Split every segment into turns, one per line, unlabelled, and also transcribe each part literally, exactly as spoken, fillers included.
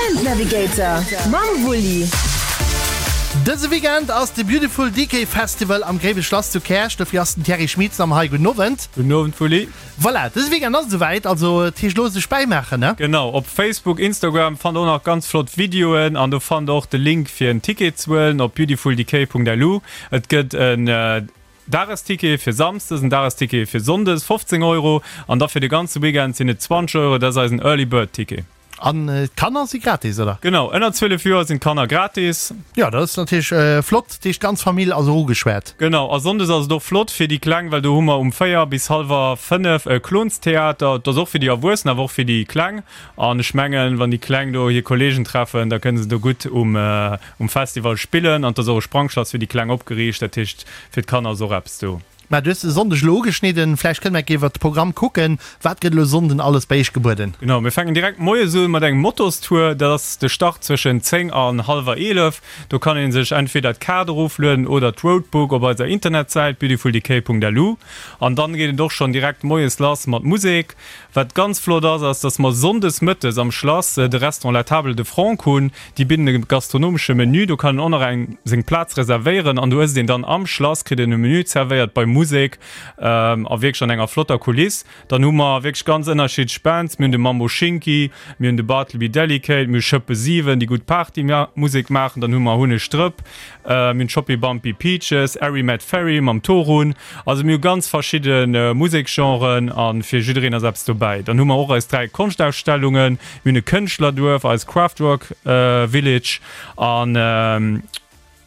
Event Navigator mam Wulli.
Dëse Weekend ass de Beautiful Decay Festival am Gréiweschlass zu Käerch. Dofir ass den Thierry Schmitz am hei. Gudden Owend.
Gudden Owend, Wulli.
Voilà, dëse Weekend ass et esouwäit, also et heescht elo sech bäimaachen, ne?
Genau, op Facebook, Instagram fannt der och nach ganz flott Videoen an do fannt der och de Link fir en Ticket ze huelen op beautifuldecay.lu. Et gëtt en Dagesticket fir Samsdes, en Dagesticket fir Sonndes, fofzéng Euro, an da fir de ganze Weekend sinn et zwanzeg Euro, dat ass eisen Early Bird Ticket.
An d'Kanner si gratis, oder?
Genau, ënner zwielef Joer sinn d'Kanner gratis.
Jo, dat ass natierlech flott, dat heescht d'ganz Famill ass och ugeschwat.
Genau, a Sonndes ass et och flott fir déi Kleng, well do hu mer um véier bis hallwer fënnef e Klonstheater. Dat ass och fir déi Erwuessen, awer och fir déi Kleng. An ech mengen, wann déi Kleng do hir Kolleegen treffen, da kënne se do gutt um Festival spillen. An et ass och e Sprangschlass fir déi Kleng opgeriicht, dat heescht fir d'Kanner ass och eppes do.
Mä du hues de Sonndeg elo ugeschnidden, vläicht kënne mer eng Kéier iwwert de Programm kucken. Wat gëtt elo Sonnden alles bei iech gebueden?
Genau, mir fänken direkt moies un mat engem Motostour. Dat ass de Start zwëschen zéng an hallwer eelef. Do kann ee sech entweder d'Kaart eroflueden oder d'Roadbook op eiser Internetsäit beautifuldecay.lu. An dann geet et och schonn direkt moies lass mat Musek. Wat ganz flott ass, ass dass mer sonndes mëttes am Schlass de Restaurant La Table de Franck hunn. Déi bidden e gastronomesche Menü, do kann een och nach eng seng Plaz reservéieren an do ësst een dann am Schlass, kritt een e Menü zerwéiert bei Musek a wierklech an enger flotter Kuliss. Dann hu mer wierklech ganz ënnerschiddlech Bands, mir hunn de Mambo Schinki, mir hunn de Bartleby Delicate, mir hu Schëppe siwen, déi gutt Partymusek maachen, dann hu mer Hunneg Drëpp, Mir hunn Choppy Bumpy Peaches, Airy Mad Ferry mam Torun. Also mir hu ganz verschidde Museksgenren a fir jiddereen ass eppes dobäi. Dann hu mer och eis dräi Konschtausstellungen, mir hunn e Kënschtlerduerf, eis Craftwork Village an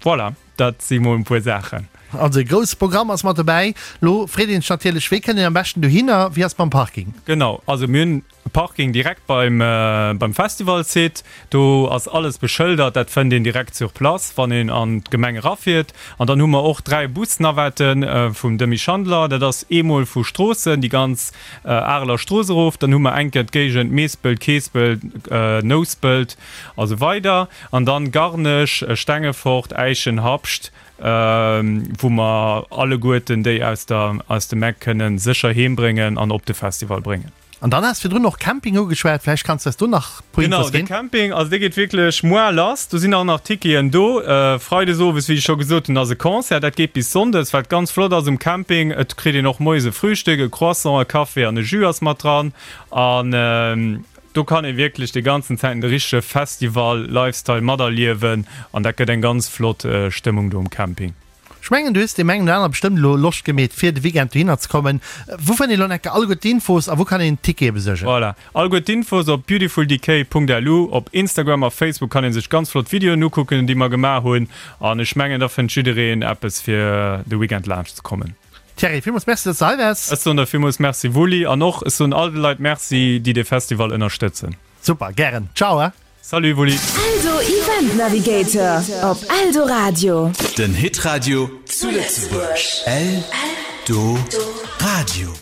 voilà, dat si mol e puer Saachen.
Also e grousse Programm ass mat dobäi. Lo freet een sech natierlech, wéi kënnt een am beschten dohinner, wéi ass et mam Parking?
Genau, also mir hunn e Parking direkt beim beim Festivalsite. Do ass alles beschëldert, dat fënnt een direkt sur place, wann een an d'Gemeng erafiert. An dann hu mer och dräi Busnavetten vum Demy Schandeler. Dat ass eemol vu Stroossen, déi ganz Areler Strooss erof. Dann hu mer eng Kéier d'Géigend Meespelt, Keespelt, Nouspelt a sou weider. An dann Garnech, Stengefort, Äischen, Habscht. Wou mer alleguerten déi aus der aus dem Eck kënnen sécher heem bréngen an op de Festival bréngen.
An dann has virdrun och Camping ugeschwat, vläicht kanns de eis do nach e puer
Genau,
Infos
de
ginn?
Camping, also dee geet wierklech muar lass. Do sinn och nach Ticketen do. Freides owes, wéi ech scho gesot hunn, ass e Concert. Dat geet bis sonndes. Wat ganz flott ass um Camping, et kritt een och moies e Frühstück, e Croissant, e Café an e Jus ass mat dran. An Do kann ee wierklech déi ganzen Zäiten de richtege Festival-Lifestyle materliewen an dat gëtt eng ganz flott Stëmmung do um Camping.
Ech mengen du hues deem engen oder anere bestëmmt elo Loscht gemeet fir de Weekend dohinner ze kommen. Wou fënnt een elo enke alleguer d'Infos a wou kann een Tickete besuergen?
Voilà, alleguer d'Infos op beautifuldecay.lu. Op Instagram a Facebook kann ee sech ganz flott Videoen ukucken déi mer gemaach hunn an ech mengen da fënnt jiddereen eppes fir de Weekend laanscht ze kommen.
Thierry, villmools Merci, dass de hei waars.
Ech soen der villmools Merci, Wulli, an och ech soen all de Leit Merci, déi dee Festival ënnerstëtzen.
Super, gären. Ciao, he.
Salut, Wulli.
Eldo Event Navigator op Eldoradio.
Den Hitradio zu Lëtzebuerg. Eldoradio.